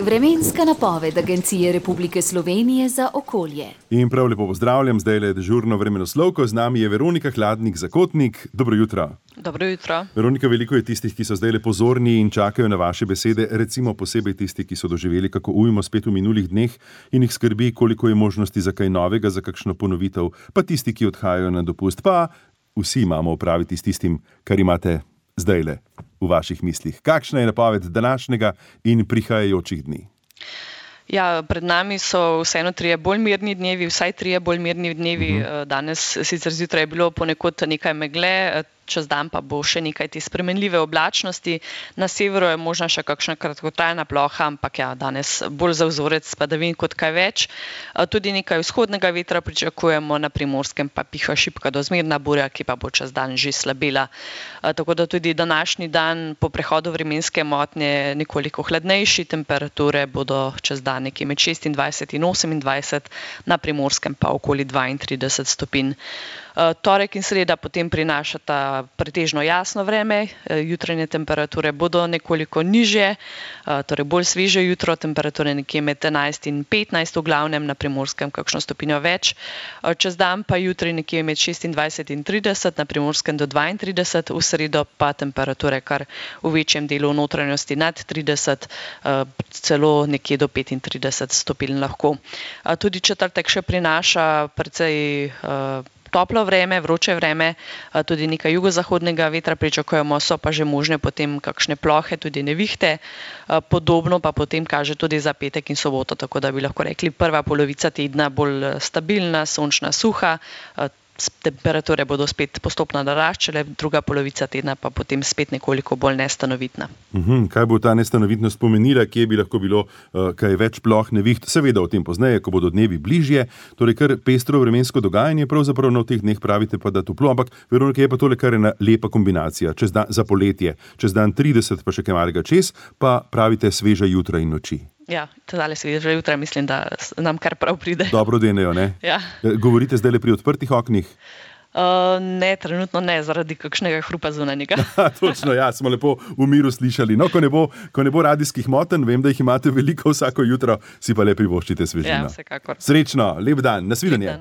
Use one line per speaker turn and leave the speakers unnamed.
Vremenska napoved Agencije Republike Slovenije za okolje.
In prav lepo pozdravljam, zdaj le dežurno vremenoslovko, z nami je Veronika Hladnik-Zakotnik. Dobro jutro.
Dobro jutro.
Veronika, veliko je tistih, ki so zdaj le pozorni in čakajo na vaše besede, recimo posebej tisti, ki so doživeli kako ujmo spet v minulih dneh in jih skrbi, koliko je možnosti za kaj novega, za kakšno ponovitev, pa tisti, ki odhajajo na dopust, pa vsi imamo opraviti s tistim, kar imate zdaj le v vaših mislih. Kakšna je napoved današnjega in prihajajočih dni?
Ja, pred nami so vseeno trije bolj mirni dnevi, vsaj trije bolj mirni dnevi. Danes sicer zjutraj je bilo ponekod nekaj megle, čez dan pa bo še nekaj te spremenljive oblačnosti. Na severu je možna še kakšna kratkotrajna ploha, ampak ja, danes bolj za vzorec padavin kot kaj več. Tudi nekaj vzhodnega vetra pričakujemo, na Primorskem pa piha šibka do zmerna burja, ki pa bo čez dan že slabela. Tako da tudi današnji dan po prehodu vremenske motnje nekoliko hladnejši, temperature bodo čez dan nekje med 26 in 28, na Primorskem pa okoli 32 stopinj. Torek in sreda potem prinašata pretežno jasno vreme, jutranje temperature bodo nekoliko nižje, torej bolj sveže jutro, temperature nekje med 11 in 15 v glavnem, na Primorskem kakšno stopinjo več. Čez dan pa jutri nekje med 26 in 30, na Primorskem do 32, v sredo pa temperature kar v večjem delu notranjosti nad 30, celo nekje do 35 stopinj lahko. Tudi četrtek še prinaša precej toplo vreme, vroče vreme, tudi nekaj jugozahodnega vetra pričakujemo, so pa že možne potem kakšne plohe, tudi nevihte. Podobno pa potem kaže tudi za petek in soboto, tako da bi lahko rekli prva polovica tedna bolj stabilna, sončna, suha. Temperature bodo spet postopno naraščale, druga polovica tedna pa potem spet nekoliko bolj nestanovitna.
Kaj bo ta nestanovitnost pomenila, kje bi lahko bilo kaj več ploh, neviht? Seveda o tem pozneje, ko bodo dnevi bližje, torej kar pestro vremensko dogajanje, pravzaprav na teh dneh pravite pa, da toplo, ampak Veronika, je pa tole kar ena lepa kombinacija, čez dan, za poletje, čez dan 30 pa še kaj malega čez, pa pravite sveža jutra in noči.
Ja, tale sveža jutra mislim, da nam kar prav pride.
Dobro denejo, ne?
Ja.
Govorite zdaj le pri odprtih oknih?
Ne, trenutno ne, zaradi kakšnega hrupa zunanjega.
Točno, ja, smo lepo v miru slišali. No, ko ne bo radijskih motenj, vem, da jih imate veliko vsako jutro, si pa le privoščite svežino.
Ja, vsekakor.
Srečno, lep dan, nasvidenje.